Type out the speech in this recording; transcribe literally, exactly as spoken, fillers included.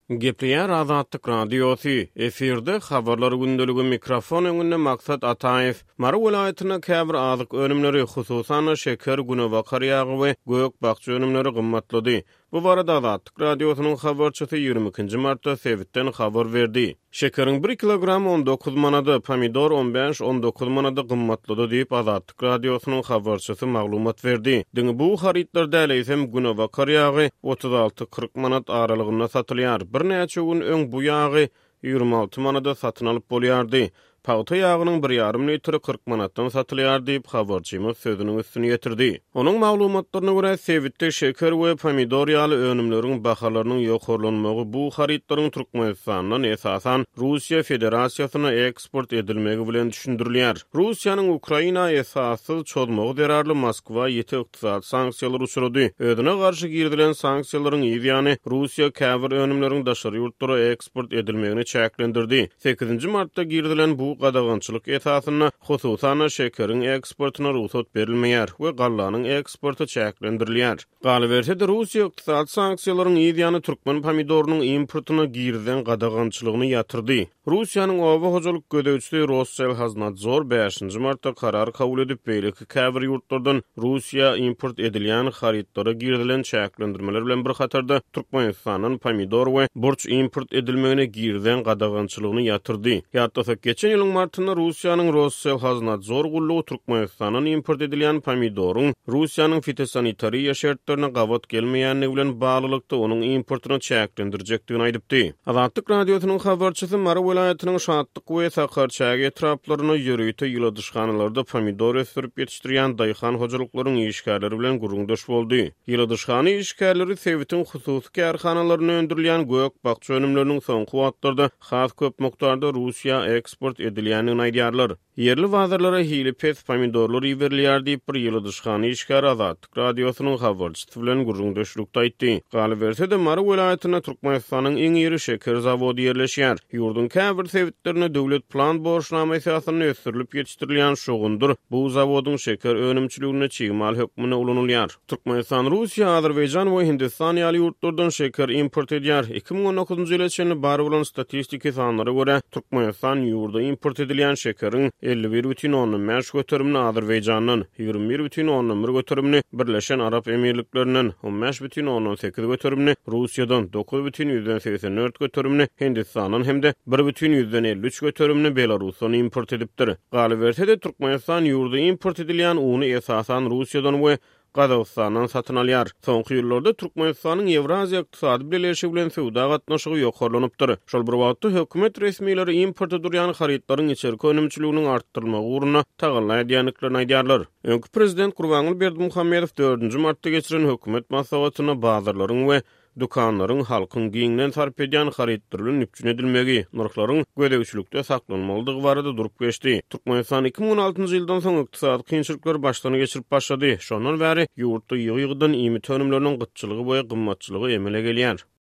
Gepleýär Azatlyk Radiosy, efirde Habarlar gündeligi, mikrofon öňünde Maksat Ataýew. Mary welaýatynda käbir azyk önümleri, hususan-da şeker, günebakar ýagy we gök-bakja önümleri gymmatlady. Bu barada Azatlyk Radiosynyň habarçysy ýigrimi ikinji martda sebitden habar berdi. Şekeriň bir kilogramy on dokuz manada, pomidor on bäş, on dokuz manada gymmatlady diýip, Azatlyk Radiosynyň habarçysy maglumat berdi. Diňe bu harytlar däl, eýsem, günebakar ýagy otuz alty, kyrk manat aralygynda satylýar. Birnäçe gün öň bu ýagy ýigrimi alty manada satyn alyp bolýardy. Pagta ýagynyň bir ýarym litri kyrk manatdan satylýar diýip, habarçymyz sözüniň üstüni ýetirdi. Onuň maglumatlaryna görä, sebitde şeker we pomidor ýaly önümleriň bahalarynyň ýokarlanmagy bu harytlaryň Türkmenistandan, esasan, Russiýa Federasiýasyna eksport edilmegi bilen düşündirilýär. Russiýanyň Ukraina esassyz çozmagy zerarly Moskwa ýiti ykdysady sanksiýalar uçrady. Özüne garşy girizilen sanksiýalaryň yz ýany Russiýa käbir önümleriň daşary ýurtlara eksport edilmegini çäklendirdi. Sekizinji martda girizilen bu gadagançylyk esasynda hususan-da şekeriň eksportyna rugsat berilmeýär we gallanyň eksporty çäklendirilýär. Galyberse-de, Russiýa ykdysady sanksiýalaryň yz ýany türkmen pomidorynyň importyna girizen gadagançylygyny ýatyrdy. Russiýanyň oba hojalyk gözegçisi Rosselhoznadzor bäşinji martda karar kabul edip, beýleki käbir ýurtlardan Russiýa import edilýän harytlara girizilen çäklendirmeler bilen bir hatarda Türkmenistandan pomidor we burç import edilmegine girizen gadagançylygyny ýatyrdy. Ýatlasak, geçen ýylyň martynda Russiýanyň Rosselhoznadzor gullugy Türkmenistandan import edilýän pomidoryň Russiýanyň fitosanitariýa şertlerine gabat gelmeýändigi bilen baglylykda onuň importyny çäklendirjekdigini aýdypdy. Azatlyk Radiosynyň habarçysy Mary welaýatynyň Şatlyk we Sakarçäge etraplarynda ýörite ýyladyşhanalarda pomidor ösdürip ýetişdirýän daýhan hojalyklaryň işgärleri bilen gürrüňdeş boldy. Ýyladyşhana işgärleri sebitiň hususy kärhanalarynda öndürilýän gök-bakja önümleriniň soňky wagtlarda has köp mukdarda Russiýa eksport edilýändigini aýdýarlar. Ýerli bazarlara hili pes pomidorlar iberilýär diýip, bir ýyladyşhana işgäri Azatlyk Radiosynyň habarçysy bilen gürrüňdeşlikde aýtdy. Galyberse-de, Mary welaýatynda Türkmenistanyň iň iri şeker zawody ýerleşýär. Ýurduň käbir sebitlerinde döwlet plan borçnama esasynda ösdürilip ýetişdirilýän şogundyr bu zawodyň şeker önümçiliginde çig mal hökmünde ulanylýar. Türkmenistan, Russiýa, Azerbaýjan we Hindistan ýaly ýurtlardan şeker import edýär. Iki müň on dokuzynjy ýyla çenli bar bolan statistiki sanlara görä, Türkmenistan ýurda import edilýän şekeriň elli bir bütin ondan bäş göterimini Azerbaýjandan, ýigrimi bir bütin ondan bir göterimini Birleşen Arap Emirliklerinden, on bäş bütin ondan sekiz göterimini Russiýadan, dokuz bütin ýüzden segsen dört göterimini Hindistandan hem-de bir bütin ýüzden elli üç göterimini Belarusdan import edipdir. Galyberse-de, Türkmenistan ýurda import edilýän uny esasan Russiýadan we Gazagystandan satyn alýar. Soňky ýyllarda Türkmenistanyň Ýewraziýa ykdysady bileleşigi bilen söwda gatnaşygy ýokarlanypdyr. Şol bir wagtda hökümet resmileri importa durýan harytlaryň içerki önümçiliginiň artdyrylmagy ugrunda tagalla edýändiklerini aýdýarlar. Öňki prezident Gurbanguly Berdimuhamedow dördünji martda geçiren hökümet maslahatynda bazarlaryň we dükanlaryň halkyň giňden sarp edýän harytlary bilen üpjün edilmegi, nyrhlaryň gözegçilikde saklanmalydygy barada durup geçdi. Türkmenistan iki müň on altynjy ýyldan soň ykdysady kynçylyklary başdan geçirip başlady. Şondan bäri ýurtda ýygy-ýygydan iýmit önümleriniň gytçylygy we gymmatçylygy emele gelýär.